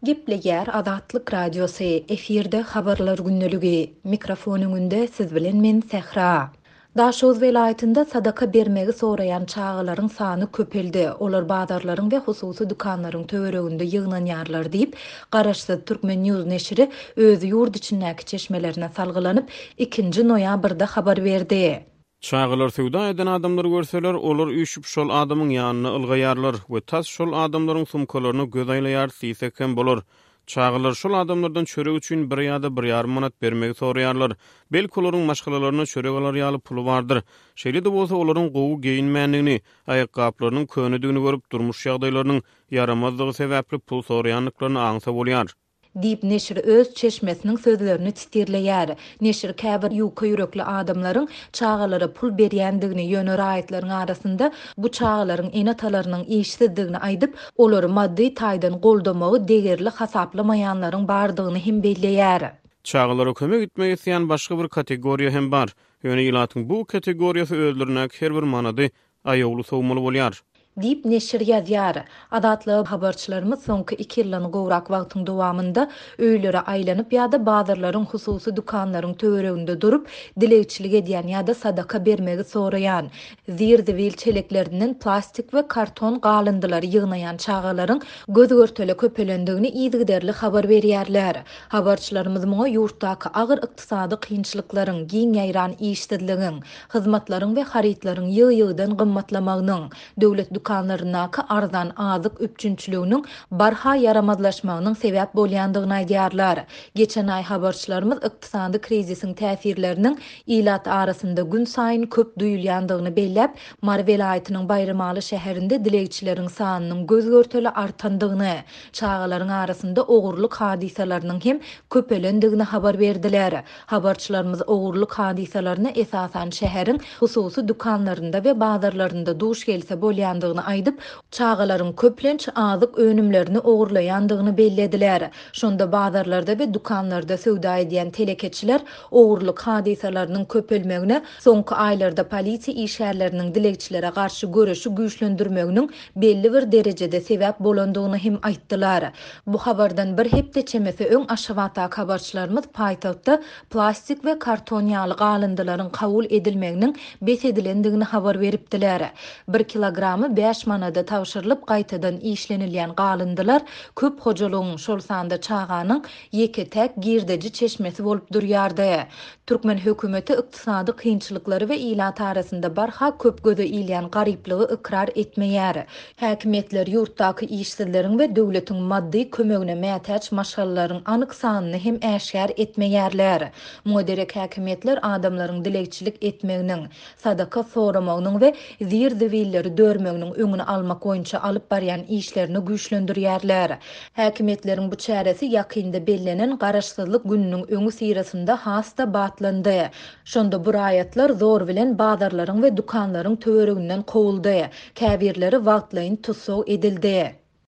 Gepleýär Azatlyk Radiosy, efirde Habarlar gündeligi. Mikrofon öňünde siz bilen men Sähra. Daşoguz welaýatynda sadaka bermegi soraýan çagalaryň sany köpeldi. Olar bazarlaryň we hususy dükanlaryň töwereginde ýygnanýarlar diýip, garaşsyz Turkmen. News neşiri öz ýurt içindäki çeşmelerine salgylanyp, ikinji noýabrda habar berdi. Çagalar söwda eden adamlary görseler, olar üýşüp şol adamyň ýanyna ylgaýarlar we tas şol adamlaryň sumkalaryna göz aýlaýarys diýsek hem bolar. Çagalar şol adamlardan çörek üçin bir ýa-da bir ýarym manat bermegi soraýarlar. Belki olaryň maşgalalaryna çörek alar ýaly puly bardyr. Şeýle-de bolsa olaryň gowy geýinmändigini, aýakgaplarynyň könedigini görüp, durmuş ýagdaýlarynyň ýaramazdygy sebäpli pul soraýandyklaryny aňsa bolýar. Diýip, neşir öz çeşmesiniň sözlerini sitirleýär. Neşir käbir ýuka ýürekli adamlaryň çagalara pul berýändigini, ýöne raýatlaryň arasynda bu çagalaryň ene-atalarynyň işsizdigini aýdyp, olary maddy taýdan goldamagy degerli hasaplamaýanlaryň bardygyny hem belleýär. Çagalara kömek etmek isleýän başga bir kategoriýa hem bar. Ýöne ilatyň bu kategoriýasy özlerindäki her bir manady aýawly sowmaly bolýar. Diýip, neşir ýazýar. Azatlyga habarçylarymyz soňky iki ýyldan gowrak wagtyň dowamynda öýlere aýlanyp ýa-da bazarlaryň, hususy dükanlaryň töwereginde durup, dilegçilik edýän ýa-da sadaka bermegi soraýan, zir-zibil çeleklerinden plastik we karton galyndylary ýygnaýan çagalaryň göz-görtele köpelendigini yzygiderli habar berýärler. Habarçylarymyz muňa ýurtdaky agyr ykdysady kynçylyklaryň, giň ýaýran işsizligiň, hyzmatlaryň we harytlaryň ýygy-ýygydan gymmatlamagynyň, döwlet dükanlaryndaky arzan azyk üpjünçiliginiň barha ýaramazlaşmagynyň sebäp bolýandygyny aýdýarlar. Geçen aý habarçylarymyz ykdysady krizisiň täsirleriniň ilat arasynda günsaýyn köp duýulýandygyny belläp, Mary welaýatynyň Baýramaly şäherinde dilegçileriň sanynyň göz-görtele artandygyny, çagalaryň arasynda ogurlyk hadysalarynyň hem köpelendigini habar berdiler. Habarçylarymyz ogurlyk hadysalaryna esasan şäheriň hususy dükanlarynda we bazarlarynda duş gelse bolýandygyny aýdyp, çagalaryň köplenç azyk önümlerini ogurlaýandygyny bellediler. Şonda bazarlarda we dükanlarda söwda edýän telekeçiler ogurlyk hadysalarynyň köpelmegine soňky aýlarda polisiýa işgärleriniň dilegçilere garşy göreşi güýçlendirmeginiň belli bir derejede sebäp bolandygyny hem aýtdylar. Bu habardan bir hepde çemesi öň Aşgabatdaky habarçylarymyz paýtagtda plastik we karton ýaly galyndylaryň kabul edilmeginiň bes edilendigini habar beripdiler. Bir kilogramy bäş manada tabşyrylyp gaýtadan işlenilýän galyndylar köp hojalygyň, şol sanda çaganyň ýeke-täk girdeji çeşmesi bolup durýardy. Türkmen hökümeti ykdysady kynçylyklary we ilat arasynda barha köp göze ilýän garyplygy ykrar etmeýär. Häkimiýetler ýurtdaky işsizleriň we döwletiň maddy kömegine mätäç maşgalalaryň anyk sanyny hem äşgär etmeýärler. Muňa derek häkimiýetler adamlaryň dilegçilik etmeginiň, sadaka soramagynyň we zir-zibilleri dörmeginiň öňüni almak boýunça alyp barýan işlerini güýçlendirýärler. Häkimiýetleriň bu çäresi ýakynda bellenen Garaşsyzlyk gününiň öňüsyrasynda has-da batlandy. Şonda bu raýatlar zor bilen bazarlaryň we dükanlaryň töwereginden kowuldy, käbirleri wagtlaýyn tussag edildi.